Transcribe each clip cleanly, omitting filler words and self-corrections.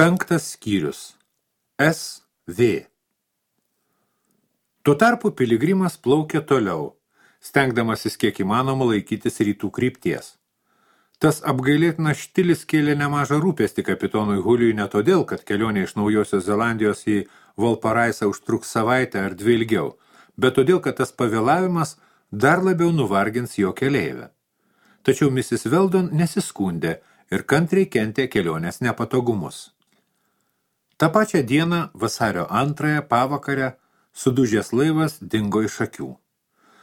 5 skyrius. SV. Tuo tarpu piligrimas plaukė toliau, stengdamasis kiek įmanoma laikytis rytų krypties. Tas apgailėtinas štilis kėlė nemažą rūpestį kapitonui Huliui ne todėl, kad kelionė iš Naujosios Zelandijos į Valparaisą užtruks savaitę ar 2 ilgiau, bet todėl, kad tas pavėlavimas dar labiau nuvargins jo keleivę. Tačiau Mrs. Weldon nesiskundė ir kantriai kentė kelionės nepatogumus. Ta pačią dieną, vasario 2 pavakarę, sudužęs laivas dingo iš akių.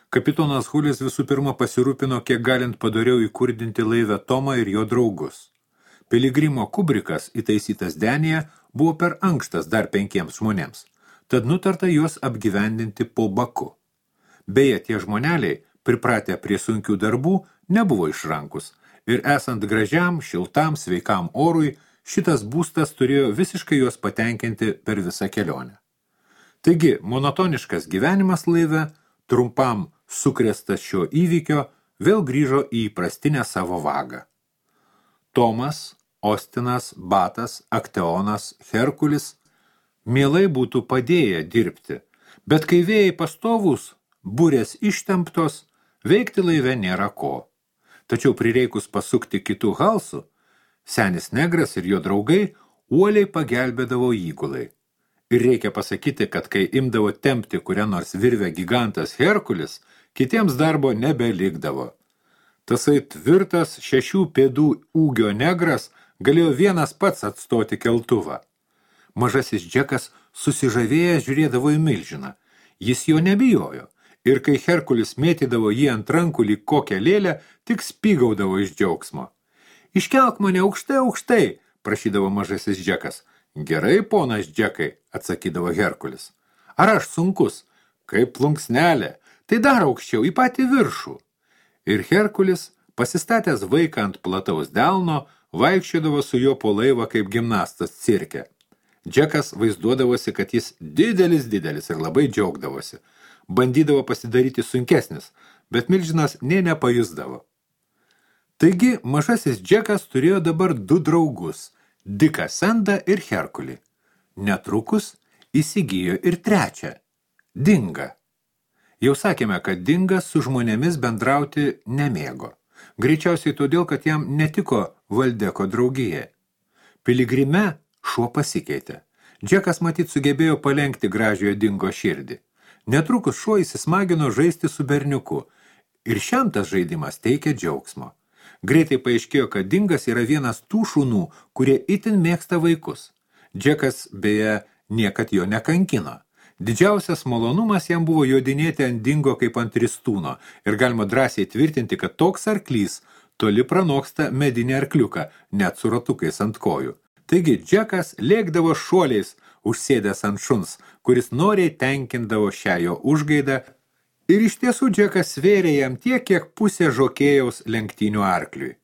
Kapitonas Hulis visų pirma pasirūpino, kiek galint padoriau įkurdinti laivę Tomą ir jo draugus. Piligrimo kubrikas, įtaisytas denyje, buvo per ankštas dar 5 žmonėms, tad nutarta juos apgyvendinti po baku. Beje, tie žmoneliai, pripratę prie sunkių darbų, nebuvo išrankus ir esant gražiam, šiltam, sveikam orui, šitas būstas turėjo visiškai juos patenkinti per visą kelionę. Taigi, monotoniškas gyvenimas laive, trumpam sukrėstas šio įvykio, vėl grįžo į įprastinę savo vagą. Tomas, Ostinas, Batas, Akteonas, Herkulis mielai būtų padėję dirbti, bet kai vėjai pastovūs, burės ištemptos, veikti laive nėra ko. Tačiau prireikus pasukti kitų halsų, senis negras ir jo draugai uoliai pagelbėdavo įgulai. Ir reikia pasakyti, kad kai imdavo tempti kurią nors virvę gigantas Herkulis, kitiems darbo nebelikdavo. Tasai tvirtas 6 pėdų ūgio negras galėjo vienas pats atstoti keltuvą. Mažasis Džekas susižavėjęs žiūrėdavo į milžiną. Jis jo nebijojo. Ir kai Herkulis mėtydavo jį ant rankų lyg kokią lėlę, tik spygaudavo iš džiaugsmo. Iškelk mane aukštai, aukštai, prašydavo mažasis Džekas. Gerai, ponas Džekai, atsakydavo Herkulis. Ar aš sunkus? Kaip plunksnelė. Tai dar aukščiau, į patį viršų. Ir Herkulis, pasistatęs vaiką ant plataus delno, vaikščiodavo su juo po laivą kaip gimnastas cirke. Džekas vaizduodavosi, kad jis didelis ir labai džiaugdavosi. Bandydavo pasidaryti sunkesnis, bet milžinas nė nepajusdavo. Taigi, mažasis Džekas turėjo dabar 2 draugus – Diką Sandą ir Herkulį. Netrukus įsigijo ir 3 – Dingą. Jau sakėme, kad Dingas su žmonėmis bendrauti nemėgo. Greičiausiai todėl, kad jam netiko Valdeko draugija. Piligrime šuo pasikeitė. Džekas matyt sugebėjo palenkti gražiojo Dingo širdį. Netrukus šuo įsismagino žaisti su berniuku ir šiam tas žaidimas teikė džiaugsmo. Greitai paaiškėjo, kad Dingas yra vienas tų šunų, kurie itin mėgsta vaikus. Džekas, beje, niekad jo nekankino. Didžiausias malonumas jam buvo jodinėti ant Dingo kaip ant ristūno ir galima drąsiai tvirtinti, kad toks arklys toli pranoksta medinį arkliuką, net su ratukais ant kojų. Taigi Džekas lėkdavo šuoliais, užsėdęs ant šuns, kuris noriai tenkindavo šią jo užgaidą, ir iš tiesų Džekas svėrė jam tiek, kiek pusė žokėjaus lenktynių arkliui.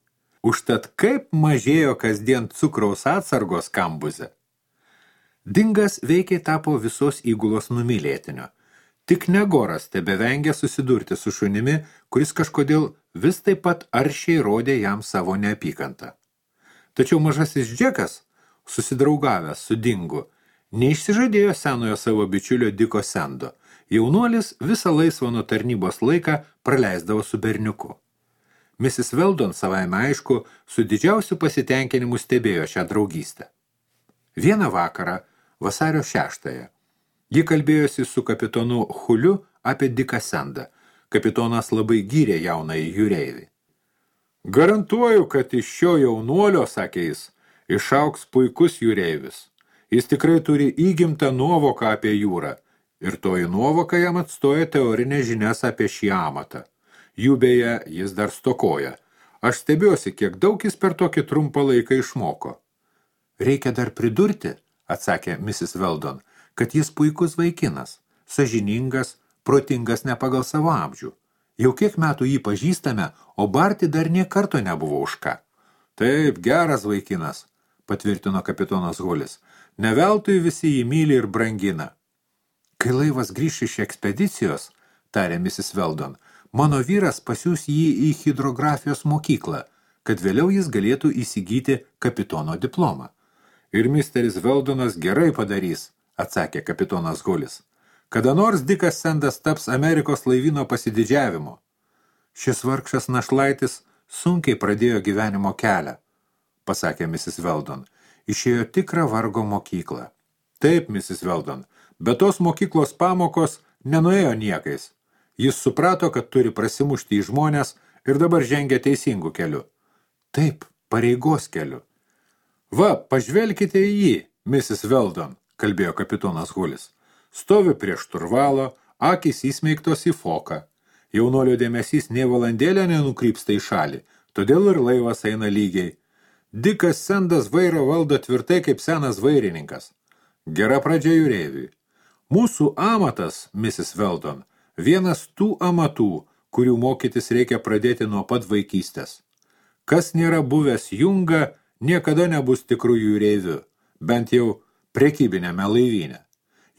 Užtat kaip mažėjo kasdien cukraus atsargos kambuze. Dingas veikiai tapo visos įgulos numylėtinio. Tik Negoras tebevengė susidurti su šunimi, kuris kažkodėl vis taip pat aršiai rodė jam savo neapykantą. Tačiau mažasis Džekas, susidraugavęs su Dingu, neišsižadėjo senojo savo bičiulio Diko Sando. Jaunuolis visą laisvą nuo tarnybos laiką praleisdavo su berniuku. Mrs. Weldon savaime aišku su didžiausiu pasitenkinimu stebėjo šią draugystę. Vieną vakarą, vasario 6, ji kalbėjosi su kapitonu Huliu apie Diką Sandą. Kapitonas labai gyrė jaunąjį jūreivį. Garantuoju, kad iš šio jaunuolio, sakė jis, išaugs puikus jūreivis. Jis tikrai turi įgimtą nuovoką apie jūrą. Ir toji nuovoka jam atstoja teorinės žinias apie šį amatą. Jų beje jis dar stokoja. Aš stebiuosi, kiek daug jis per tokį trumpą laiką išmoko. Reikia dar pridurti, atsakė Mrs. Weldon, kad jis puikus vaikinas, sąžiningas, protingas ne pagal savo amžių. Jau kiek metų jį pažįstame, o barti dar nė karto nebuvo už ką. Taip, geras vaikinas, patvirtino kapitonas Hulis. Ne veltui visi jį myli ir brangina. Kai laivas grįš iš ekspedicijos, tarė Mrs. Weldon, mano vyras pasiūs jį į hidrografijos mokyklą, kad vėliau jis galėtų įsigyti kapitono diplomą. Ir misteris Veldonas gerai padarys, atsakė kapitonas Hulis. Kada nors Dikas Sendas taps Amerikos laivyno pasididžiavimu. Šis vargšas našlaitis sunkiai pradėjo gyvenimo kelią, pasakė Mrs. Weldon. Išėjo tikrą vargo mokyklą. Taip, Mrs. Weldon, bet tos mokyklos pamokos nenuėjo niekais. Jis suprato, kad turi prasimušti į žmonės ir dabar žengia teisingų keliu. Taip, pareigos keliu. Va, pažvelkite į jį, Mrs. Weldon, kalbėjo kapitonas Hulis. Stovi prie šturvalo, akys įsmeigtos į foką. Jaunolio dėmesys nė valandėlę nenukrypsta į šalį, todėl ir laivas eina lygiai. Dikas Sendas vairą valdo tvirtai kaip senas vairininkas. Gera pradžia jūreiviui. Mūsų amatas, Mrs. Weldon, vienas tų amatų, kurių mokytis reikia pradėti nuo pat vaikystės. Kas nėra buvęs junga, niekada nebus tikrų jūreivių, bent jau prekybinėme laivyne.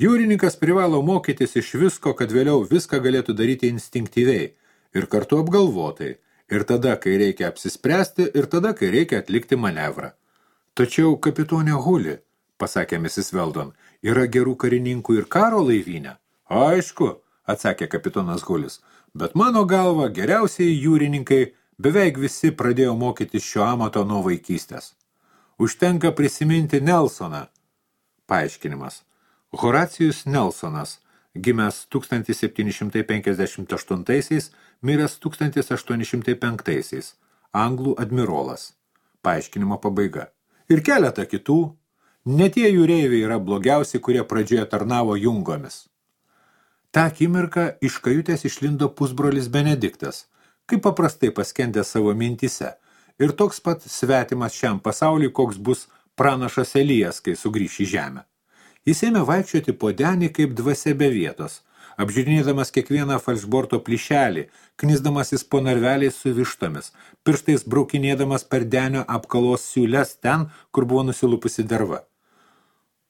Jūrininkas privalo mokytis iš visko, kad vėliau viską galėtų daryti instinktyviai ir kartu apgalvotai, ir tada, kai reikia apsispręsti, ir tada, kai reikia atlikti manevrą. Tačiau kapitonė Huli, pasakė Mrs. Weldon, yra gerų karininkų ir karo laivyne. Aišku, atsakė kapitonas Hulis, bet mano galva geriausiai jūrininkai beveik visi pradėjo mokytis šio amato nuo vaikystės. Užtenka prisiminti Nelsoną. Paaiškinimas. Horacijus Nelsonas, gimęs 1758, miręs 1805, anglų admirolas. Paaiškinimo pabaiga. Ir keletą kitų, ne tie jūreiviai yra blogiausi, kurie pradžioje tarnavo jungomis. Ta akimirką iš kajutės išlindo pusbrolis Benediktas, kaip paprastai paskendęs savo mintise, ir toks pat svetimas šiam pasauliui, koks bus pranašas Elijas, kai sugrįš į žemę. Jis ėmė vaikščioti po denį kaip dvasia be vietos, apžiūrinėdamas kiekvieną falšborto plyšelį, knisdamasis po narveliais su vištomis, pirštais braukinėdamas per denio apkalos siūles ten, kur buvo nusilupusi derva.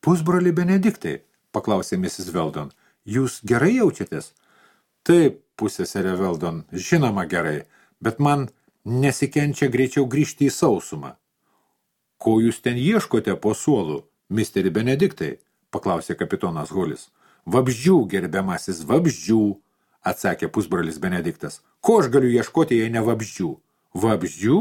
Pusbroli Benediktai, paklausė Mrs. Weldon, jūs gerai jaučiatės? Taip, pusseserė Weldon, žinoma gerai, bet man nesikenčia greičiau grįžti į sausumą. Ko jūs ten ieškote po suolu, misteri Benediktai? Paklausė kapitonas Hulis. Vabzdžių, gerbiamasis, vabzdžių, atsakė pusbrolis Benediktas. Ko aš galiu ieškoti, jei ne vabzdžių? Vabzdžių?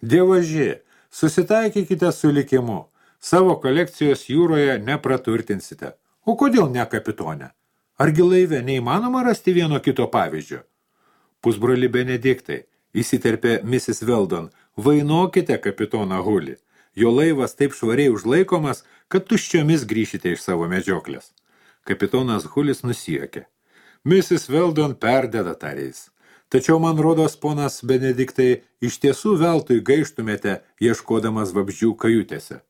Dievaži, susitaikykite su likimu. Savo kolekcijos jūroje nepraturtinsite. O kodėl ne kapitone? Argi laive neįmanoma rasti vieno kito pavyzdžio? Pusbroli Benediktai, įsiterpė Mrs. Weldon, vainokite kapitoną Hulį. Jo laivas taip švariai užlaikomas, kad tuščiomis grįšite iš savo medžioklės. Kapitonas Hulis nusijuokė. Mrs. Weldon perdeda tariais. Tačiau man rodos, ponas Benediktai, iš tiesų veltui gaištumėte, ieškodamas vabzdžių kajutėse.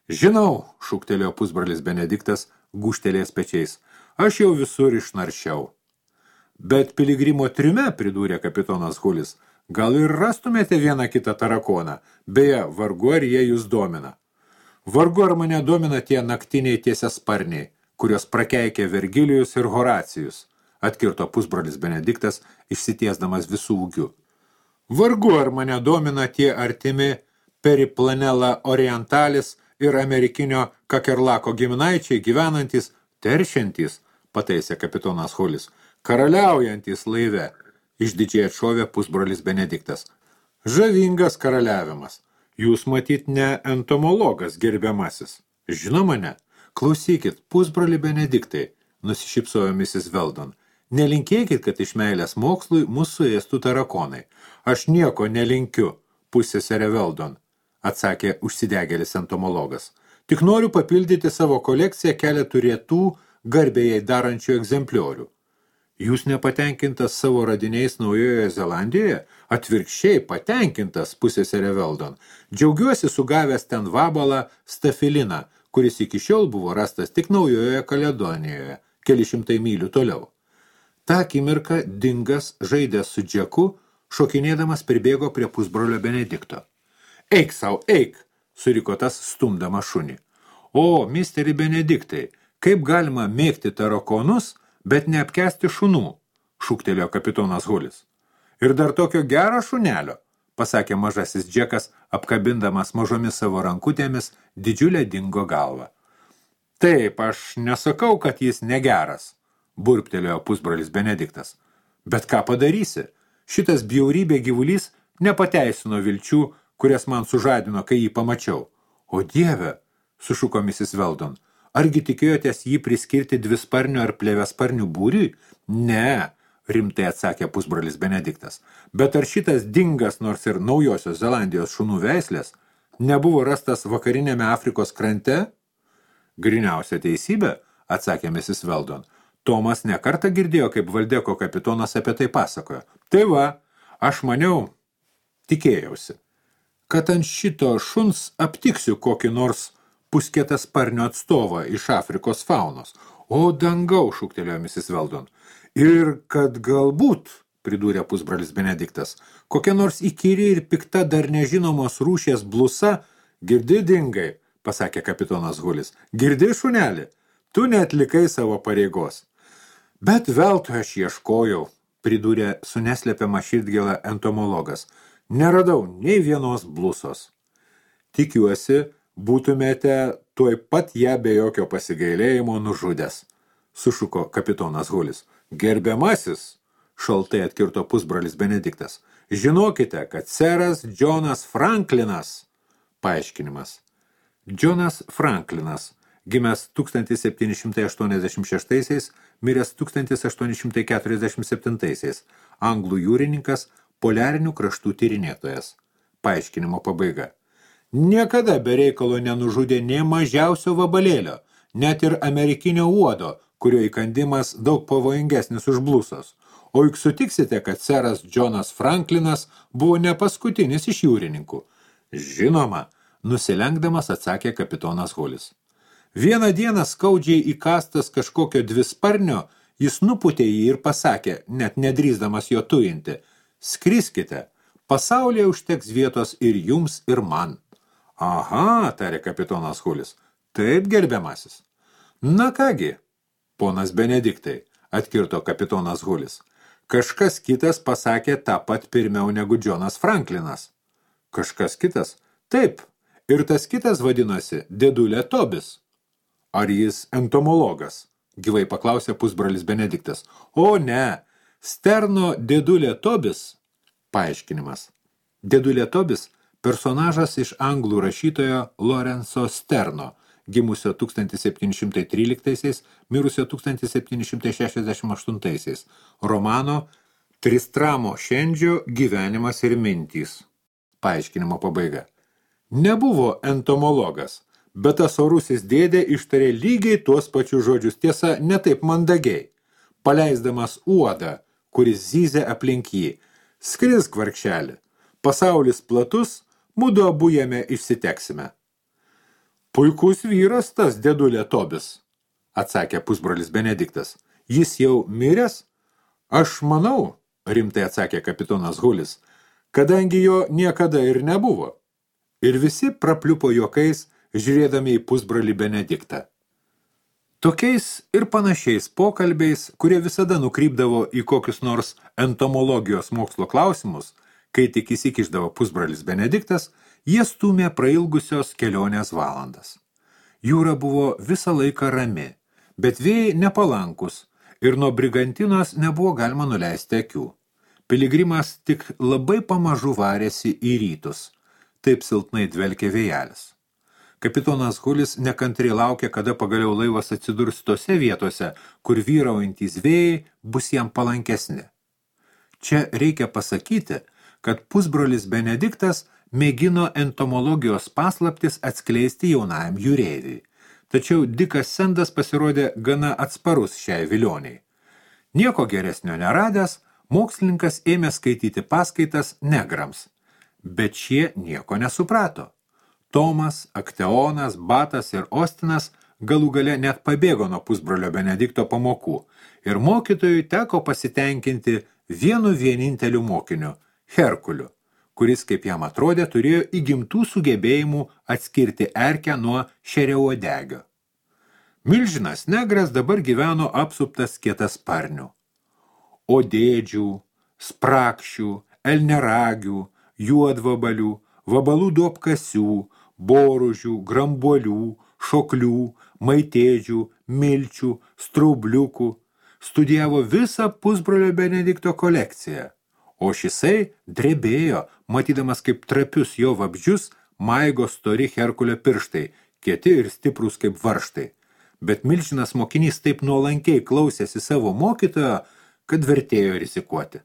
Žinau, šūktelėjo pusbrolis Benediktas, gūžtelės pečiais. Aš jau visur išnaršiau. Bet piligrimo triume, pridūrė kapitonas Hulis, gal ir rastumėte vieną kitą tarakoną, beje, vargu ar jie jūs domina. Vargu ar mane domina tie naktiniai tiesiasparniai, kurios prakeikė Vergilijus ir Horacijus, atkirto pusbrolis Benediktas, išsitiesdamas visų ūgių. Vargu ar mane domina tie artimi Periplanela Orientalis ir amerikinio Kakerlako giminaičiai gyvenantys, teršiantys, pataisė kapitonas Hulis, karaliaujantys laive, išdidžiai atšovė pusbrolis Benediktas. Žavingas karaliavimas. Jūs matyt ne entomologas, gerbiamasis. Žinoma ne. Klausykit, pusbroli Benediktai, nusišypsojo Mrs. Weldon. Nelinkėkit, kad iš meilės mokslui mūsų ėstų tarakonai. Aš nieko nelinkiu, pusseserė Weldon, atsakė užsidegėlis entomologas. Tik noriu papildyti savo kolekciją keletų retų garbėjai darančių egzempliorių. Jūs nepatenkintas savo radiniais Naujojoje Zelandijoje? Atvirkščiai patenkintas, pusseserė Weldon. Džiaugiuosi sugavęs ten vabalą stafiliną, kuris iki šiol buvo rastas tik Naujojoje Kaledonijoje, keli šimtai mylių toliau. Ta akimirka Dingas, žaidęs su Džeku, šokinėdamas pribėgo prie pusbrolio Benedikto. Eik sau, eik, suriko tas stumdama šunį. O, misteri Benediktai, kaip galima mėgti tarakonus, bet neapkęsti šunų, šūktelėjo kapitonas Hulis. Ir dar tokio gero šunelio, pasakė mažasis Džekas, apkabindamas mažomis savo rankutėmis didžiulę dingo galvą. Taip, aš nesakau, kad jis negeras, burptelėjo pusbrolis Benediktas. Bet ką padarysi? Šitas bjaurybė gyvulys nepateisino vilčių, kurias man sužadino, kai jį pamačiau. O Dieve, sušuko Mrs. Weldon, argi tikėjotės jį priskirti dvisparnių ar plėvesparnių būriui? Ne, rimtai atsakė pusbrolis Benediktas. Bet ar šitas dingas, nors ir Naujosios Zelandijos šunų veislės, nebuvo rastas vakarinėme Afrikos krante? Griniausia teisybė, atsakė Mrs. Weldon. Tomas nekartą girdėjo, kaip Valdeko kapitonas apie tai pasakojo. Tai va, aš maniau, tikėjausi, kad ant šito šuns aptiksiu kokį nors pusketasparnio atstovą iš Afrikos faunos. O dangau, šūktelėjo Mrs. Weldon. Ir kad galbūt, pridūrė pusbrolis Benediktas, kokia nors įkyri ir pikta dar nežinomos rūšies blusa, girdi dingai, pasakė kapitonas Hulis. Girdi, šuneli, tu neatlikai savo pareigos. Bet veltui aš ieškojau, pridūrė su neslepiama širdgėla entomologas. Neradau nei vienos blusos. Tikiuosi, būtumėte tuoj pat ją be jokio pasigailėjimo nužudęs, sušuko kapitonas Hulis. Gerbiamasis, šaltai atkirto pusbrolis Benediktas. Žinokite, kad seras Džonas Franklinas. Paaiškinimas. Džonas Franklinas, gimęs 1786, miręs 1847, anglų jūrininkas, poliarinių kraštų tyrinėtojas. Paaiškinimo pabaiga. Niekada be reikalo nenužudė nė mažiausio vabalėlio, net ir amerikinio uodo, kurio įkandimas daug pavojingesnis už blusos. O juk sutiksite, kad seras Džonas Franklinas buvo ne paskutinis iš jūrininkų. Žinoma, nusilenkdamas atsakė kapitonas Hulis. Vieną dieną skaudžiai įkastas kažkokio dvisparnio, jis nupūtė jį ir pasakė, net nedrįsdamas jo tujinti, skriskite, pasaulyje užteks vietos ir jums, ir man. Aha, tarė kapitonas Hulis, taip gerbiamasis. Na kągi, ponas Benediktai, atkirto kapitonas Hulis, kažkas kitas pasakė tą pat pirmiau negu Džonas Franklinas. Kažkas kitas? Taip. Ir tas kitas vadinosi Dėdulė Tobis. Ar jis entomologas? Gyvai paklausė pusbrolis Benediktas. O ne, Sterno Dėdulė Tobis. Paaiškinimas. Dėdulė Tobis personažas iš anglų rašytojo Lorenzo Sterno, gimusio 1713, mirusio 1768, romano Tristramo Šendžio gyvenimas ir mintys. Paaiškinimo pabaiga. Nebuvo entomologas, bet tas orusis dėdė ištarė lygiai tuos pačius žodžius, tiesa, ne taip mandagiai, paleisdamas uodą, kuris zyzė aplink jį. Skrisk, vargšelį, pasaulis platus, mudu abu jame išsiteksime. Puikus vyras tas Dėdulė Tobis, atsakė pusbrolis Benediktas. Jis jau miręs? Aš manau, rimtai atsakė kapitonas Hulis, kadangi jo niekada ir nebuvo. Ir visi prapliupo juokais, žiūrėdami į pusbrolį Benediktą. Tokiais ir panašiais pokalbiais, kurie visada nukrypdavo į kokius nors entomologijos mokslo klausimus, kai tik įsikišdavo pusbrolis Benediktas, jie stūmė prailgusios kelionės valandas. Jūra buvo visą laiką rami, bet vėjai nepalankus ir nuo Brigantinos nebuvo galima nuleisti akių. Piligrimas tik labai pamažu varėsi į rytus. Taip silpnai dvelkė vėjelis. Kapitonas Hulis nekantriai laukė, kada pagaliau laivas atsidurs tose vietose, kur vyraujantys vėjai bus jam palankesni. Čia reikia pasakyti, kad pusbrolis Benediktas mėgino entomologijos paslaptis atskleisti jaunajam jūreiviui. Tačiau Dikas Sendas pasirodė gana atsparus šiai vilioniai. Nieko geresnio neradęs, mokslininkas ėmė skaityti paskaitas negrams. Bet šie nieko nesuprato. Tomas, Akteonas, Batas ir Ostinas galų gale net pabėgo nuo pusbrolio Benedikto pamokų ir mokytojui teko pasitenkinti vienu vieninteliu mokiniu – Herkuliu, kuris, kaip jam atrodė, turėjo įgimtų sugebėjimų atskirti erkę nuo šeriauodegio. Milžinas negras dabar gyveno apsuptas kietasparnių. Odėdžių, sprakšių, elneragių, juodvabalių, vabalų duobkasių, boružių, grambuolių, šoklių, maitėdžių, milčių, straubliukų. Studijavo visą pusbrolio Benedikto kolekciją, o šisai drebėjo, matydamas kaip trapius jo vabzdžius maigo stori Herkulio pirštai, kieti ir stiprūs kaip varžtai. Bet milžinas mokinys taip nuolankiai klausėsi savo mokytojo, kad vertėjo rizikuoti.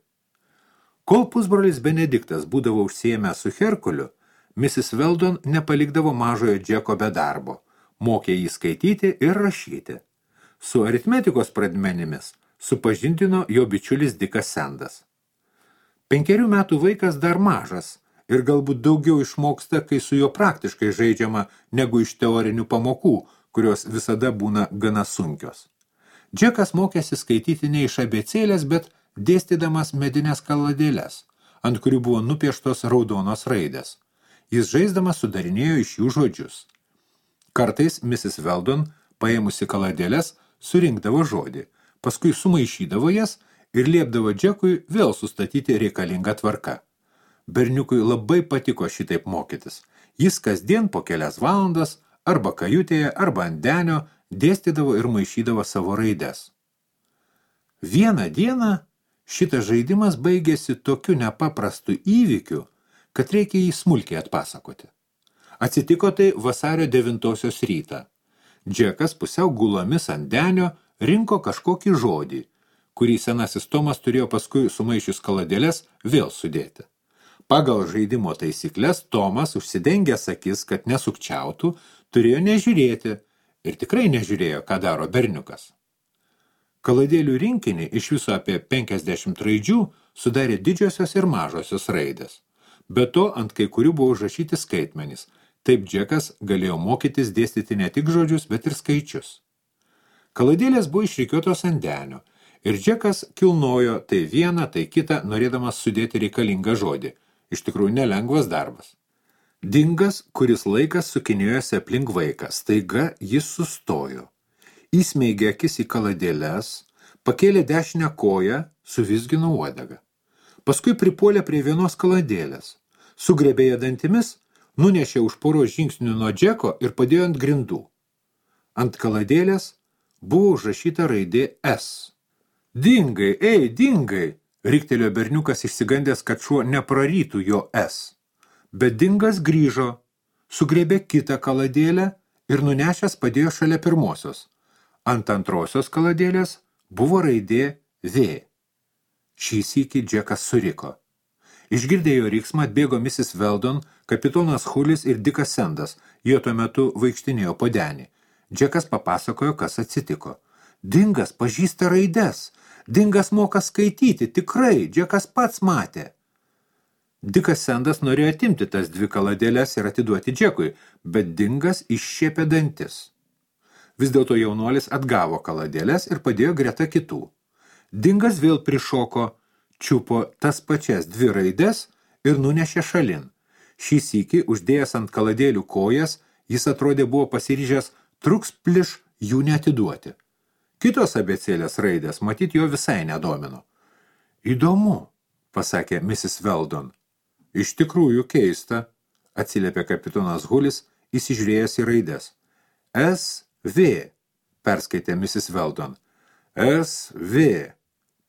Kol pusbrolis Benediktas būdavo užsiėmęs su Herkuliu, Mrs. Weldon nepalikdavo mažojo Džeko be darbo, mokė jį skaityti ir rašyti. Su aritmetikos pradmenimis supažindino jo bičiulis Dikas Sendas. 5 metų vaikas dar mažas ir galbūt daugiau išmoksta, kai su juo praktiškai žaidžiama negu iš teorinių pamokų, kurios visada būna gana sunkios. Džekas mokėsi skaityti ne iš abėcėlės, bet dėstydamas medinės kaladėles, ant kurių buvo nupieštos raudonos raidės. Jis žaisdamas sudarinėjo iš jų žodžius. Kartais Mrs. Weldon, paėmusi kaladėles, surinkdavo žodį, paskui sumaišydavo jas ir liepdavo Džekui vėl sustatyti reikalingą tvarką. Berniukui labai patiko šitaip mokytis. Jis kasdien po kelias valandas arba kajutėje, arba ant denio dėstydavo ir maišydavo savo raides. Vieną dieną šitas žaidimas baigėsi tokiu nepaprastu įvykiu, kad reikia jį smulkiai atpasakoti. Atsitiko tai vasario 9 rytą. Džekas pusiau gulomis ant denio rinko kažkokį žodį, kurį senasis Tomas turėjo paskui sumaišius kaladėles vėl sudėti. Pagal žaidimo taisyklės Tomas, užsidengęs akis, kad nesukčiautų, turėjo nežiūrėti ir tikrai nežiūrėjo, ką daro berniukas. Kaladėlių rinkinį iš viso apie 50 raidžių sudarė didžiosios ir mažosios raidės. Be to, ant kai kurių buvo užrašyti skaitmenys. Taip Džekas galėjo mokytis dėstyti ne tik žodžius, bet ir skaičius. Kaladėlės buvo išrikiuotos ant denio ir Džekas kilnojo tai vieną, tai kitą, norėdamas sudėti reikalingą žodį. Iš tikrųjų nelengvas darbas. Dingas, kuris laikas sukinėjosi aplink vaiką, staiga jis sustojo. Įsmeigė akis į kaladėles, pakėlė dešinę koją, suvizgino uodegą. Paskui pripuolė prie vienos kaladėlės, sugrebė ją dantimis, nunešė už poros žingsnių nuo Džeko ir padėjo ant grindų. Ant kaladėlės buvo užrašyta raidė S. Dingai, ei, dingai! Riktelėjo berniukas išsigandęs, kad šuo neprarytų jo S. Bet dingas grįžo, sugrebė kitą kaladėlę ir nunešęs padėjo šalia pirmosios. Ant antrosios kaladėlės buvo raidė V. Šį sykį Džekas suriko. Išgirdę jo riksmą atbėgo Mrs. Weldon, kapitonas Hulis ir Dikas Sendas. Jie tuo metu vaikštinėjo po denį. Džekas papasakojo, kas atsitiko. Dingas pažįsta raides. Dingas moka skaityti, tikrai, Džekas pats matė. Dikas Sendas norėjo atimti tas 2 kaladėles ir atiduoti Džekui, bet Dingas iššiepė dantis. Vis dėlto jaunuolis atgavo kaladėles ir padėjo greta kitų. Dingas vėl prišoko, čiupo tas pačias 2 raides ir nunešė šalin. Šį sykį, uždėjęs ant kaladėlių kojas, jis atrodė buvo pasiryžęs truks pliš jų neatiduoti. Kitos abėcėlės raidės, matyt, jo visai nedomino. Įdomu, pasakė Mrs. Weldon. Iš tikrųjų keista, atsiliepė kapitonas Hulis, įsižiūrėjęs į raides. S.V. perskaitė Mrs. Weldon. S.V.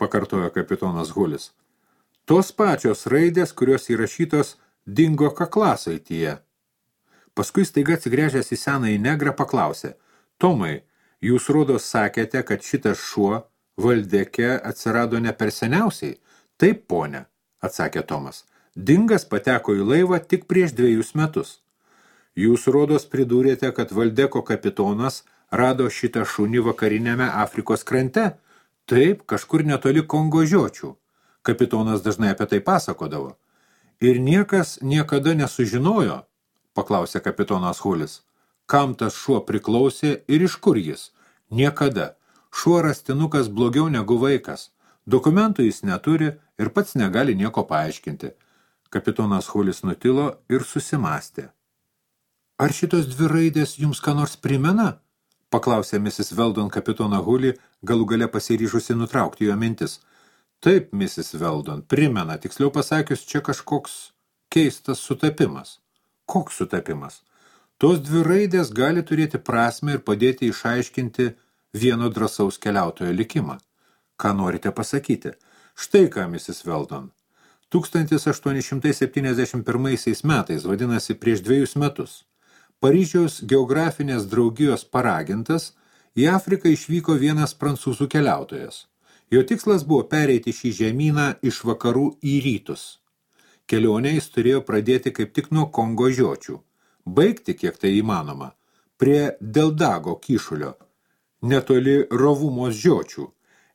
pakartojo kapitonas Hulis. Tos pačios raidės, kurios įrašytos Dingo kaklasaityje. Paskui staiga atsigręžęs į senąjį negrą paklausė. Tomai, jūs rodos sakėte, kad šitas šuo Valdeke atsirado ne per seniausiai? Taip, ponia, atsakė Tomas. Dingas pateko į laivą tik prieš 2 metus. Jūs rodos pridūrėte, kad Valdeko kapitonas rado šitą šunį vakarinėme Afrikos krante? Taip, kažkur netoli Kongo žiočių. Kapitonas dažnai apie tai pasakodavo. Ir niekas niekada nesužinojo, paklausė kapitonas Hulis. Kam tas šuo priklausė ir iš kur jis? Niekada. Šuo rastinukas blogiau negu vaikas. Dokumentų jis neturi ir pats negali nieko paaiškinti. Kapitonas Hulis nutilo ir susimastė. Ar šitos 2 raidės jums ką nors primena? Paklausė Mrs. Weldon kapitoną Hulį, galų gale pasiryžusi nutraukti jo mintis. Taip, Mrs. Weldon, primena, tiksliau pasakius, čia kažkoks Keistas sutapimas. Koks sutapimas? Tos dvi raidės gali turėti prasmę ir padėti išaiškinti vieno drąsaus keliautojo likimą. Ką norite pasakyti? Štai ką, Mrs. Weldon. 1871 metais, vadinasi prieš 2 metus, Paryžiaus geografinės draugijos paragintas, į Afriką išvyko vienas prancūzų keliautojas. Jo tikslas buvo pereiti šį žemyną iš vakarų į rytus. Kelionę jis turėjo pradėti kaip tik nuo Kongo žiočių, baigti, kiek tai įmanoma, prie Deldago kyšulio, netoli Rovumos žiočių.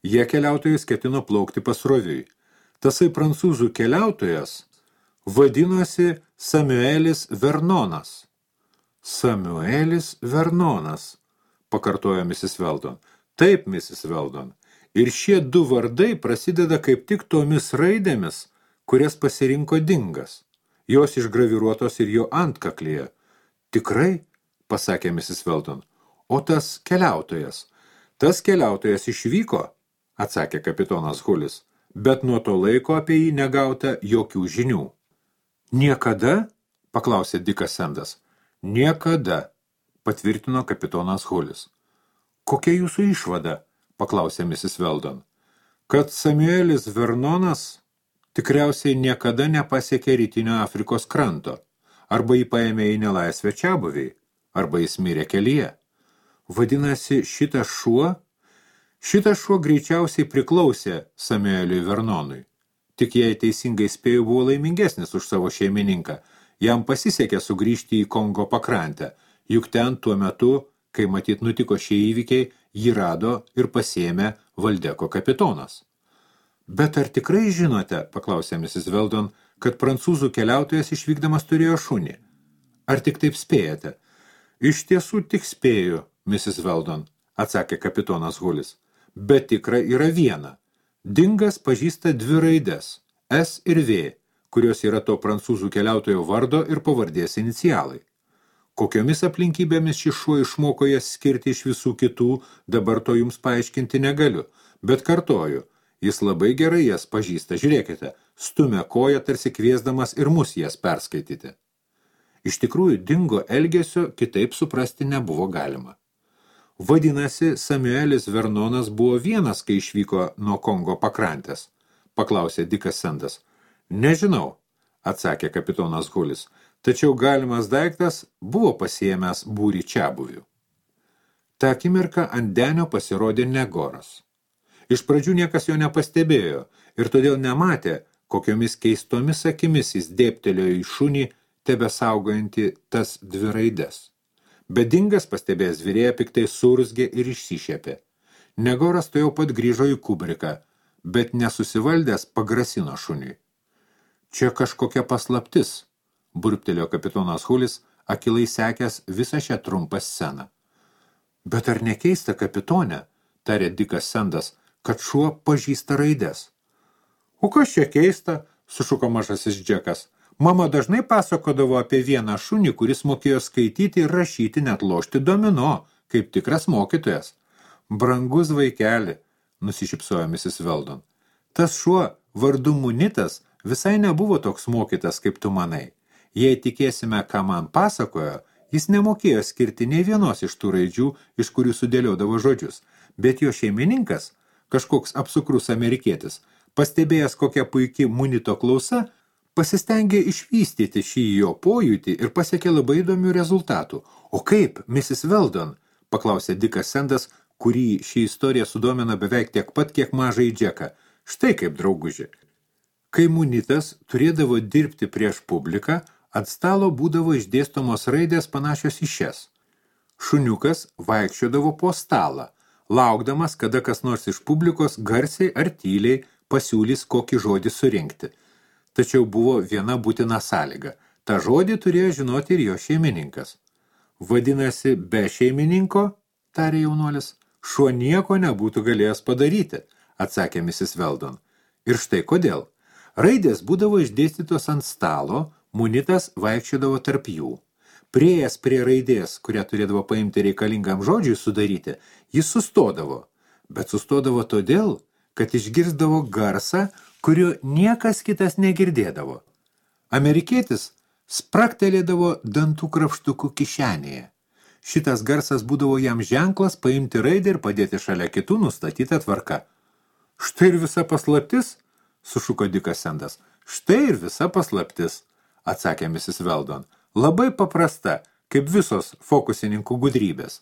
Jie keliautojas ketino plaukti pasroviui. Tasai prancūzų keliautojas vadinosi Samuelis Vernonas. Samuelis Vernonas, pakartojo Mrs. Weldon. Taip, Mrs. Weldon. Ir šie 2 vardai prasideda kaip tik tomis raidėmis, kurias pasirinko Dingas. Jos išgraviruotos ir jo antkaklyje. Tikrai, pasakė Mrs. Weldon. O tas keliautojas? Tas keliautojas išvyko, atsakė kapitonas Hulis, bet nuo to laiko apie jį negauta jokių žinių. Niekada? Paklausė Dikas Sendas. Niekada, patvirtino kapitonas Hulis. Kokia jūsų išvada? Paklausė Mrs. Weldon. Kad Samuelis Vernonas tikriausiai niekada nepasiekė rytinio Afrikos kranto, arba jį paėmė į nelaisvę čiabuviai, arba jis mirė kelyje. Vadinasi, šitas šuo greičiausiai priklausė Samueliui Vernonui. Tik jei teisingai spėjau, buvo laimingesnis už savo šeimininką. Jam pasisekė sugrįžti į Kongo pakrantę, juk ten tuo metu, kai matyt nutiko šie įvykiai, jį rado ir pasiėmė Valdeko kapitonas. Bet ar tikrai žinote, paklausė Mrs. Weldon, kad prancūzų keliautojas išvykdamas turėjo šunį? Ar tik taip spėjate? Iš tiesų tik spėju, Mrs. Weldon, atsakė kapitonas Hulis. Bet tikra yra viena. Dingas pažįsta 2 raides, S ir V, kurios yra to prancūzų keliautojo vardo ir pavardės inicialai. Kokiomis aplinkybėmis šis šuo išmoko jas skirti iš visų kitų, dabar to jums paaiškinti negaliu, bet kartoju, jis labai gerai jas pažįsta, žiūrėkite, stumia koją tarsi kviesdamas ir mus jas perskaityti. Iš tikrųjų, Dingo elgesio kitaip suprasti nebuvo galima. Vadinasi, Samuelis Vernonas buvo vienas, kai išvyko nuo Kongo pakrantės, paklausė Dikas Sendas. Nežinau, atsakė kapitonas Hulis, tačiau galimas daiktas buvo pasiėmęs būrį čiabuvių. Ta akimirka ant denio pasirodė Negoras. Iš pradžių niekas jo nepastebėjo ir todėl nematė, kokiomis keistomis akimis jis dėbtelėjo į šunį, tebesaugojantį tas 2 raides. Bet Dingas pastebėjęs virėją piktai surzgė ir išsišiepė. Negoras to jau pat grįžo į kubriką, bet nesusivaldęs pagrasino šuniui. Čia kažkokia paslaptis, burbtelėjo kapitonas Hulis, akilai sekęs visą šią trumpą sceną. Bet ar nekeista, kapitone, tarė Dikas Sendas, kad šuo pažįsta raides? O kas čia keista, sušuko mažasis Džekas. Mama dažnai pasakodavo apie vieną šunį, kuris mokėjo skaityti ir rašyti, net lošti domino, kaip tikras mokytojas. Brangus vaikeli, nusišypsojo Mrs. Weldon. Tas šuo, vardu Munitas, visai nebuvo toks mokytas, kaip tu manai. Jei tikėsime, ką man pasakojo, jis nemokėjo skirti nei vienos iš tų raidžių, iš kurių sudėliodavo žodžius, bet jo šeimininkas, kažkoks apsukrus amerikietis, pastebėjęs kokia puiki Munito klausa, pasistengė išvystyti šį jo pojūtį ir pasiekė labai įdomių rezultatų. O kaip, Mrs. Weldon, paklausė Dikas Sendas, kurį ši istorija sudomina beveik tiek pat, kiek mažai Džeką. Štai kaip, drauguži. Kai Munitas turėdavo dirbti prieš publiką, ant stalo būdavo išdėstomos raidės panašios į šias. Šuniukas vaikščiodavo po stalą, laukdamas, kada kas nors iš publikos garsiai ar tyliai pasiūlys kokį žodį surinkti. Tačiau buvo viena būtina sąlyga. Ta žodį turėjo žinoti ir jo šeimininkas. Vadinasi, be šeimininko, tarė jaunuolis, šuo nieko nebūtų galėjęs padaryti, atsakė Mrs. Weldon. Ir štai kodėl. Raidės būdavo išdėstytos ant stalo, Munitas vaikščiodavo tarp jų. Priėjęs prie raidės, kurią turėdavo paimti reikalingam žodžiui sudaryti, jis sustodavo. Bet sustodavo todėl, kad išgirsdavo garsą, kurio niekas kitas negirdėdavo. Amerikietis spraktelėdavo dantų krapštukų kišenėje. Šitas garsas būdavo jam ženklas paimti raidę ir padėti šalia kitų nustatytą tvarką. Štai ir visa paslaptis, sušuko Dikas Sendas. Štai ir visa paslaptis, atsakė Mrs. Weldon. Labai paprasta, kaip visos fokusininkų gudrybės.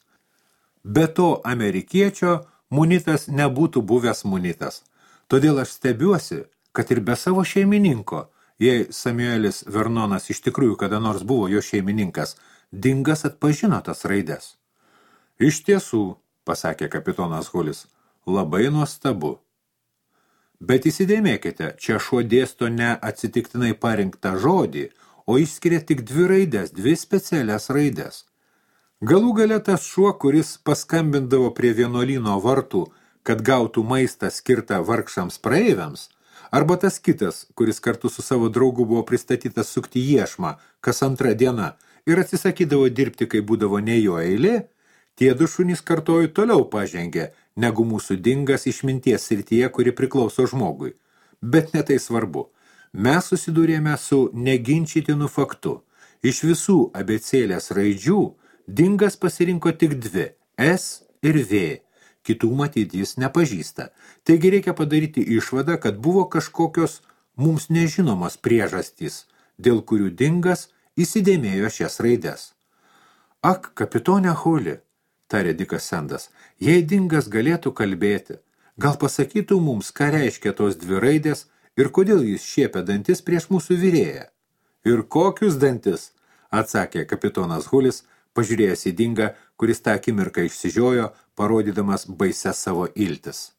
Be to amerikiečio munitas nebūtų buvęs munitas. Todėl aš stebiuosi, kad ir be savo šeimininko, jei Samuelis Vernonas iš tikrųjų kada nors buvo jo šeimininkas, Dingas atpažino tas raides. Iš tiesų, pasakė kapitonas Hulis, labai nuostabu. Bet įsidėmėkite, čia šuo dėsto ne atsitiktinai parinktą žodį, o išskiria tik 2 raides, 2 specialias raides. Galų gale tas šuo, kuris paskambindavo prie vienuolyno vartų, kad gautų maistą skirtą vargšams praeiviams, arba tas kitas, kuris kartu su savo draugu buvo pristatytas sukti iešmą kas 2 diena ir atsisakydavo dirbti, kai būdavo ne jo eilė, tie 2 šunys kartoju toliau pažengė, negu mūsų Dingas išminties srityje, kuri priklauso žmogui. Bet ne tai svarbu. Mes susidūrėme su neginčytinu faktu. Iš visų abėcėlės raidžių Dingas pasirinko tik 2 – S ir V. Kitų matyt jis nepažįsta. Taigi reikia padaryti išvadą, kad buvo kažkokios mums nežinomos priežastys, dėl kurių Dingas įsidėmėjo šias raides. Ak, kapitone Huli, tarė Dikas Sendas, jei Dingas galėtų kalbėti, gal pasakytų mums, ką reiškia tos 2 raidės ir kodėl jis šiepia dantis prieš mūsų virėją. Ir kokius dantis, atsakė kapitonas Hulis, pažiūrėjęs į Dingą, kuris tą akimirką išsižiojo, parodydamas baisias savo iltis.